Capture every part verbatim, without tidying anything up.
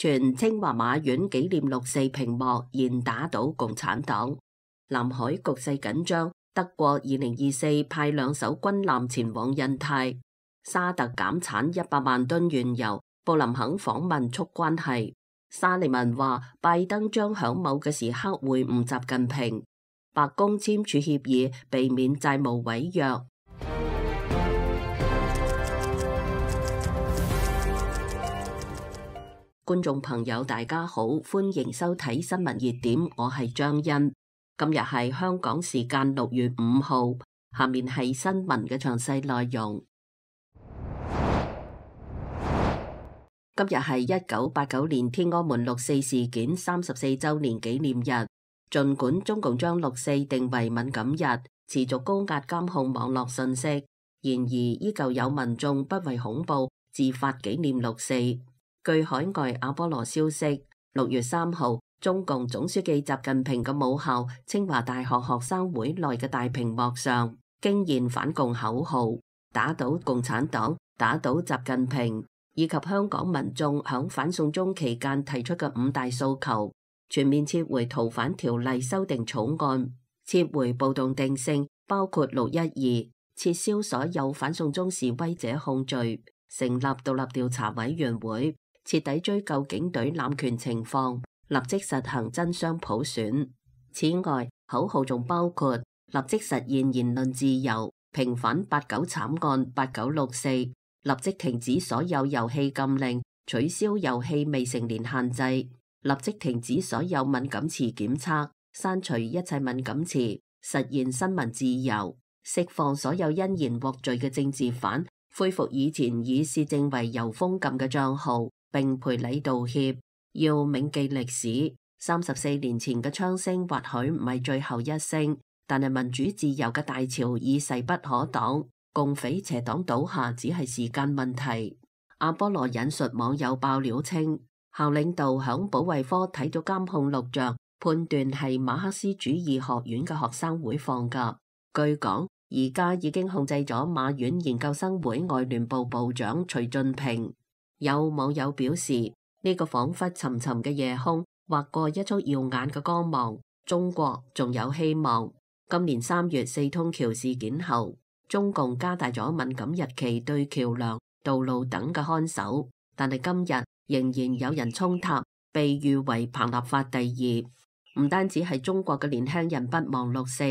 全清華馬院紀念六四屏幕現打倒共產黨。南海局勢緊張，德國二零二四派兩艘軍艦前往印太。沙特減產一百萬噸原油，布林肯訪問促關係。沙利文話拜登將響某嘅時刻會晤習近平。白宮簽署協議，避免債務違約。觀眾朋友大家好，歡迎收睇新聞熱點，我係張欣。今日係香港時間六月五號，下面係新聞嘅詳細內容。今日係一九八九年天安門六四事件三十四周年紀念日。儘管中共將六四定為敏感日，持續高壓監控網絡信息，然而依舊有民眾不為恐怖自發紀念六四。據海外阿波羅消息，六月三號，中共總書記習近平嘅母校清華大學學生會內嘅大屏幕上，驚現反共口號，打倒共產黨，打倒習近平，以及香港民眾響反送中期間提出嘅五大訴求：全面撤回逃犯條例修訂草案，撤回暴動定性，包括六一二，撤銷所有反送中示威者控罪，成立獨立調查委員會，徹底追究警隊濫權情況，立即實行真雙普選。此外，口號仲包括立即實現言論自由，平反八九慘案、八九六四，立即停止所有遊戲禁令，取消遊戲未成年限制，立即停止所有敏感詞檢測，刪除一切敏感詞，實現新聞自由，釋放所有因言獲罪嘅政治犯，恢復以前以市政為由封禁嘅帳號，並賠禮道歉。要銘記歷史，三十四年前嘅槍聲或許唔係最後一聲，但係民主自由嘅大潮已勢不可擋，共匪邪黨倒下只係時間問題。阿波羅引述網友爆料稱，校領導響保衛科睇到監控錄像，判斷係馬克思主義學院嘅學生會放㗎。據講，而家已經控制咗馬院研究生會外聯部部長徐俊平。有網友表示，呢、這個彷彿沉沉嘅夜空劃過一束耀眼嘅光芒，中國仲有希望。今年三月四通橋事件後，中共加大咗敏感日期對橋樑、道路等嘅看守，但係今日仍然有人衝塔，被譽為彭立法第二。唔單止係中國嘅年輕人不忘六四，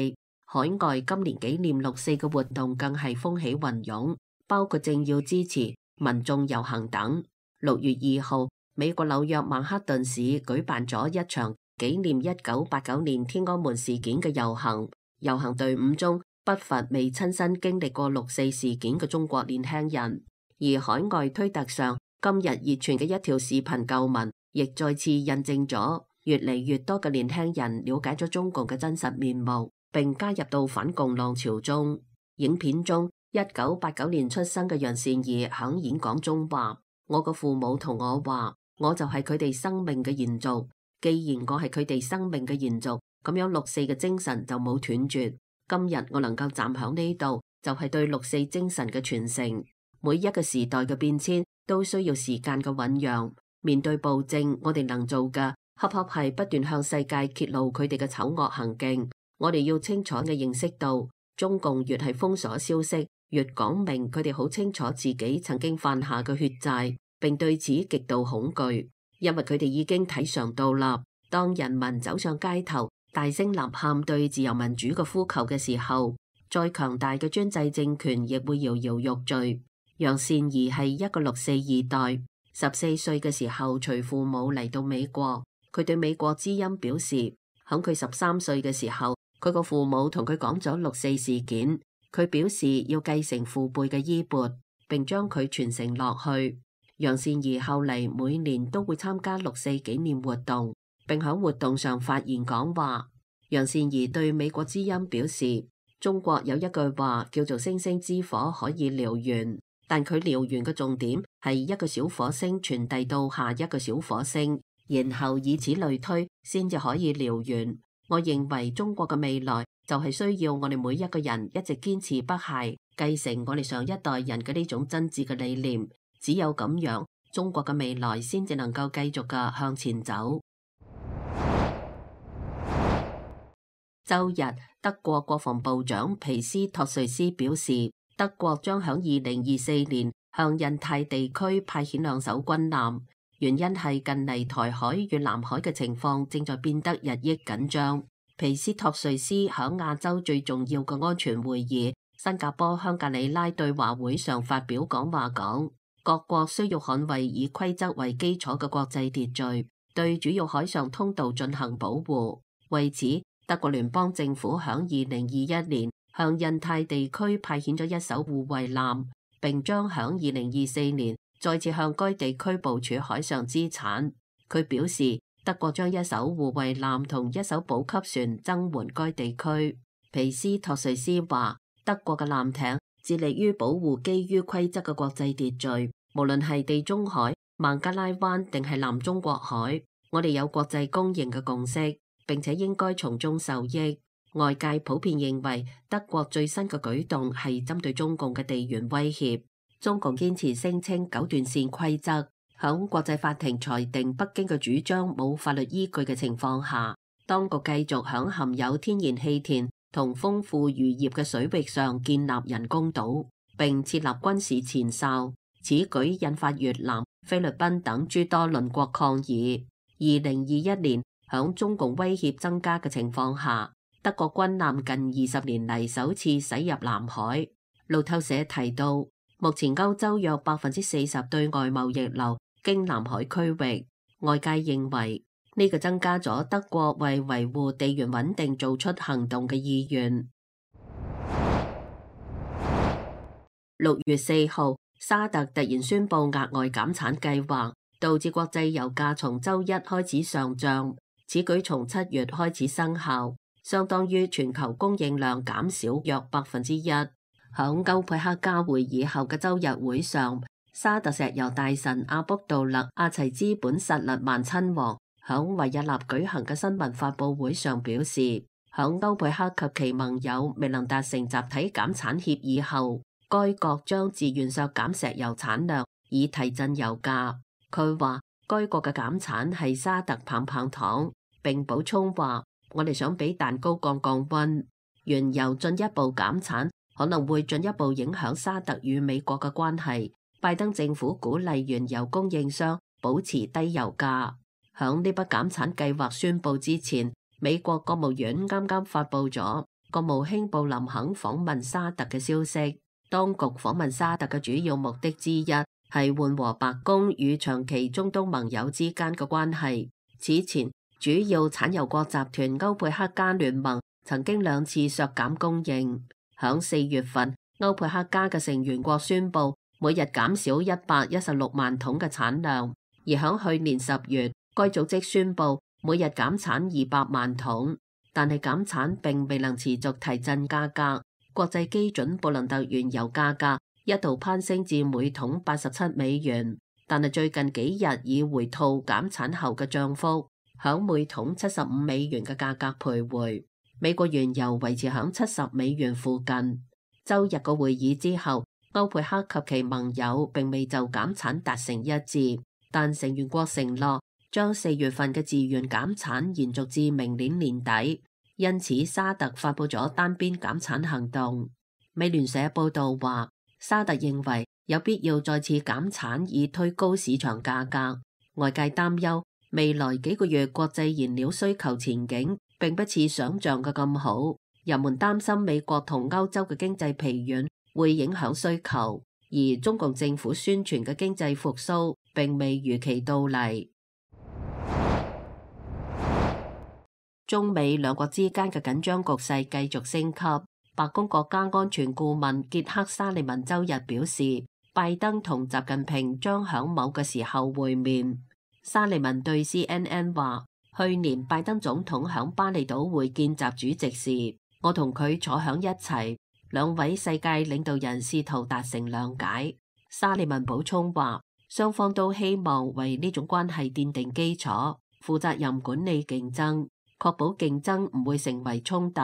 海外今年紀念六四嘅活動更係風起雲湧，包括政要支持、民眾遊行等。六月二號，美國紐約曼克頓市舉辦咗一場紀念一九八九年天安門事件嘅遊行。遊行隊伍中不乏未親身經歷過六四事件嘅中國年輕人。而海外推特上今日熱傳嘅一條視頻舊聞，亦再次印證咗越嚟越多嘅年輕人了解咗中共嘅真實面目，並加入到反共浪潮中。影片中，一九八九年出生嘅楊善儀響演講中話：我個父母同我話，我就係佢哋生命嘅延續。既然我係佢哋生命嘅延續，咁樣六四嘅精神就冇斷絕。今日我能夠站響呢度，就係對六四精神嘅傳承。每一個時代嘅變遷都需要時間嘅醞釀。面對暴政，我哋能做嘅，恰恰係不斷向世界揭露佢哋嘅醜惡行徑。我哋要清楚嘅認識到，中共越係封鎖消息，越講明佢哋好清楚自己曾經犯下嘅血債，並對此極度恐懼，因為佢哋已經體嘗到啦。當人民走上街頭，大聲吶喊對自由民主嘅呼求嘅時候，再強大嘅專制政權亦會搖搖欲墜。楊善儀係一個六四二代，十四歲嘅時候隨父母嚟到美國。佢對美國之音表示，響佢十三歲嘅時候，佢個父母同佢講咗六四事件，佢表示要繼承父輩嘅衣缽，並將佢傳承落去。楊善儀後嚟每年都會參加六四紀念活動，並喺活動上發言講話。楊善儀對美國之音表示，中國有一句話叫做星星之火可以燎原，但佢燎原嘅重點係一個小火星傳遞到下一個小火星，然後以此類推，先至可以燎原。我認為中國嘅未來就係需要我哋每一個人一直堅持不懈，繼承我哋上一代人嘅呢種真摯嘅理念。只有咁樣，中國嘅未來先至能夠繼續嘅向前走。周日，德國國防部長皮斯托瑞斯表示，德國將響二零二四年向印太地區派遣兩艘軍艦，原因係近嚟台海與南海嘅情況正在變得日益緊張。皮斯托瑞斯響亞洲最重要嘅安全會議新加坡香格里拉對話會上發表講話，講各國需要捍衛以規則為基礎嘅國際秩序，對主要海上通道進行保護。為此，德國聯邦政府響二零二一年向印太地區派遣咗一艘護衛艦，並將響二零二四年再次向該地區部署海上資產。佢表示，德國將一艘護衛艦同一艘補給船增援該地區。皮斯托瑞斯話，德國嘅艦艇致力於保護基於規則嘅國際秩序，無論係地中海、孟加拉灣定係南中國海，我哋有國際公認嘅共識，並且應該從中受益。外界普遍認為德國最新嘅舉動係針對中共嘅地緣威脅。中共堅持聲稱九段線規則，響國際法庭裁定北京嘅主張冇法律依據嘅情況下，當局繼續響含有天然氣田同豐富漁業嘅水域上建立人工島，並設立軍事前哨。此舉引發越南、菲律賓等諸多鄰國抗議。二零二一年，響中共威脅增加嘅情況下，德國軍艦近二十年嚟首次駛入南海。路透社提到，目前歐洲約百分之四十對外貿易流經南海區域，外界認為呢個增加咗德國為維護地緣穩定做出行動嘅意願。六月四號，沙特突然宣布額外減產計劃，導致國際油價從周一開始上漲。此舉從七月開始生效，相當於全球供應量減少約百分之一。響歐佩克加會議後嘅周日會上，沙特石油大臣阿卜杜勒阿齊茲本薩勒曼親王響維也納舉行嘅新聞發佈會上表示，響歐佩克及其盟友未能達成集體減產協議後，該國將自願削減石油產量以提振油價。佢話該國嘅減產係沙特棒棒糖，並補充話，我哋想俾蛋糕降降溫，原油進一步減產可能會進一步影響沙特與美國嘅關係。拜登政府鼓勵原油供應商保持低油價。響呢筆減產計劃宣布之前，美國國務院啱啱發布咗國務卿布林肯訪問沙特嘅消息。當局訪問沙特嘅主要目的之一係緩和白宮與長期中東盟友之間嘅關係。此前，主要產油國集團歐佩克加聯盟曾經兩次削減供應。響四月份，歐佩克加嘅成員國宣布每日減少一百一十六萬桶嘅產量，而響去年十月，該組織宣布每日減產二百萬桶，但係減產並未能持續提振價格。國際基準布蘭特原油價格一度攀升至每桶八十七美元，但係最近幾日已回吐減產後嘅漲幅，響每桶七十五美元嘅價格徘徊。美國原油維持響七十美元附近。周日個會議之後，歐佩克及其盟友並未就減產達成一致，但成員國承諾將四月份嘅自願減產延續至明年年底。因此，沙特發布咗單邊減產行動。美聯社報道話，沙特認為有必要再次減產以推高市場價格。外界擔憂未來幾個月國際燃料需求前景並不似想象嘅咁好，人們擔心美國同歐洲嘅經濟疲軟會影響需求，而中共政府宣傳嘅經濟復甦並未如期到嚟。中美兩國之間嘅緊張局勢繼續升級。白宮國家安全顧問傑克沙利文周日表示，拜登同習近平將響某個時候會面。沙利文對 C N N 話，去年拜登總統響巴厘島會見習主席時，我同佢坐響一齊，兩位世界領導人試圖達成諒解。沙利文補充話，雙方都希望為呢種關係奠定基礎，負責任管理競爭，確保競爭唔會成為衝突。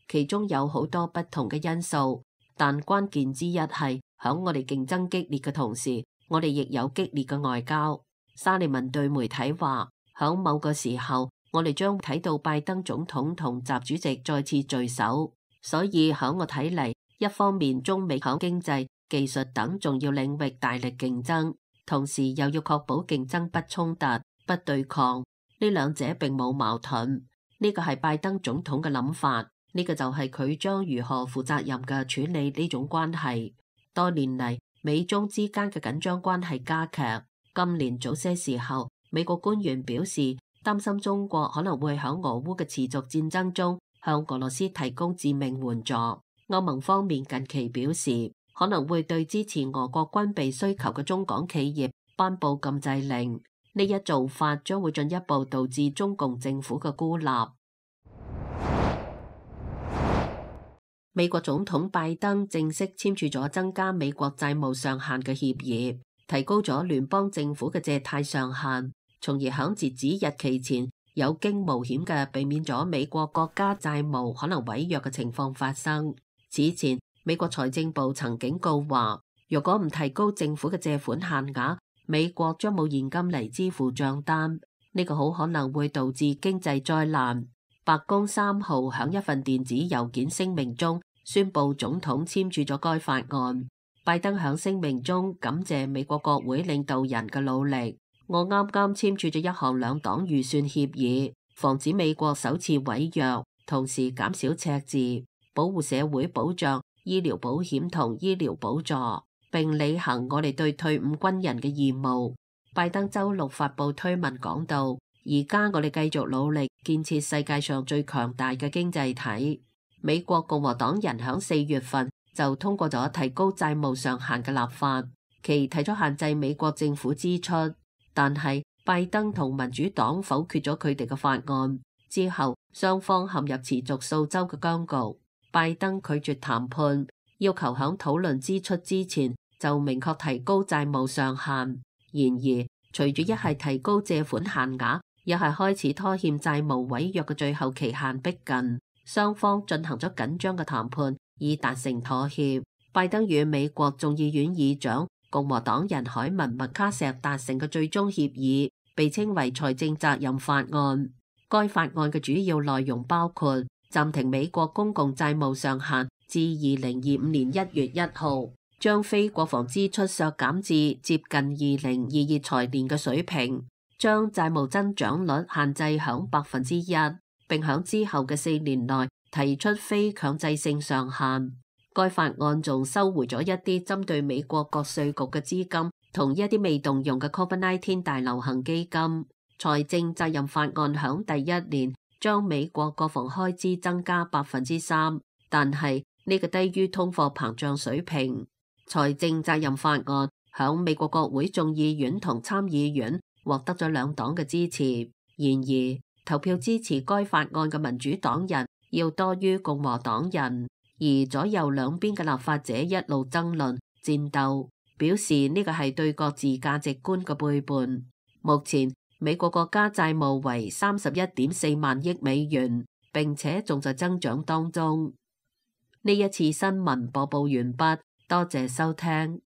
其中有好多不同嘅因素，但關鍵之一係響我哋競爭激烈嘅同時，我哋亦有激烈嘅外交。沙利文對媒體話，響某個時候，我哋將睇到拜登總統同習主席再次聚首。所以響我睇嚟，一方面中美響經濟、技術等重要領域大力競爭，同時又要確保競爭不衝突、不對抗。呢兩者並冇矛盾。呢個係拜登總統嘅諗法，呢個就係佢將如何負責任嘅處理呢種關係。多年嚟，美中之間嘅緊張關係加劇。今年早些時候，美國官員表示擔心中國可能會響俄烏嘅持續戰爭中向俄羅斯提供致命援助。歐盟方面近期表示可能會對支持俄國軍備需求嘅中港企業頒布禁制令。呢一做法將會進一步導致中共政府嘅孤立。美國總統拜登正式簽署咗增加美國債務上限嘅協議，提高咗聯邦政府嘅借貸上限，從而響截止日期前有驚無險嘅避免咗美國國家債務可能違約嘅情況發生。此前，美國財政部曾警告話，如果唔提高政府嘅借款限額，美國將冇現金嚟支付賬單，呢個好可能會導致經濟災難。白宮三號響一份電子郵件聲明中宣布總統簽署咗該法案。拜登響聲明中感謝美國國會領導人嘅努力。我啱啱簽署咗一項兩黨預算協議，防止美國首次違約，同時減少赤字，保護社會保障、醫療保險同醫療補助，並履行我哋對退伍軍人嘅義務。拜登周六發布推文講到，而家我哋繼續努力建設世界上最強大嘅經濟體。美國共和黨人響四月份就通過咗提高債務上限嘅立法，其提出限制美國政府支出，但係拜登同民主黨否決咗佢哋嘅法案之後，雙方陷入持續數週嘅僵局。拜登拒絕談判，要求響討論支出之前就明確提高債務上限。然而，隨住一係提高借款限額，一係開始拖欠債務違約嘅最後期限逼近，雙方進行咗緊張嘅談判，以達成妥協。拜登與美國眾議院議長共和黨人凱文麥卡錫達成嘅最終協議，被稱為財政責任法案。該法案嘅主要內容包括暫停美國公共債務上限至二零二五年一月一號，將非國防支出削減至接近二零二二財年嘅水平，將債務增長率限制響百分之一，並響之後嘅四年內提出非強制性上限。該法案仲收回咗一啲針對美國各稅局嘅資金，同一啲未動用嘅 COVID 十九 大流行基金。財政責任法案響第一年將美國國防開支增加百分之三，但係呢個低於通貨膨脹水平。財政責任法案響美國國會眾議院同參議院獲得咗兩黨嘅支持，然而投票支持該法案嘅民主黨人要多於共和黨人，而左右兩邊嘅立法者一路爭論戰鬥，表示呢個係對各自價值觀嘅背叛。目前美國國家債務為三十一點四萬億美元，並且仲在增長當中。呢一次新聞播報完畢，多謝收聽。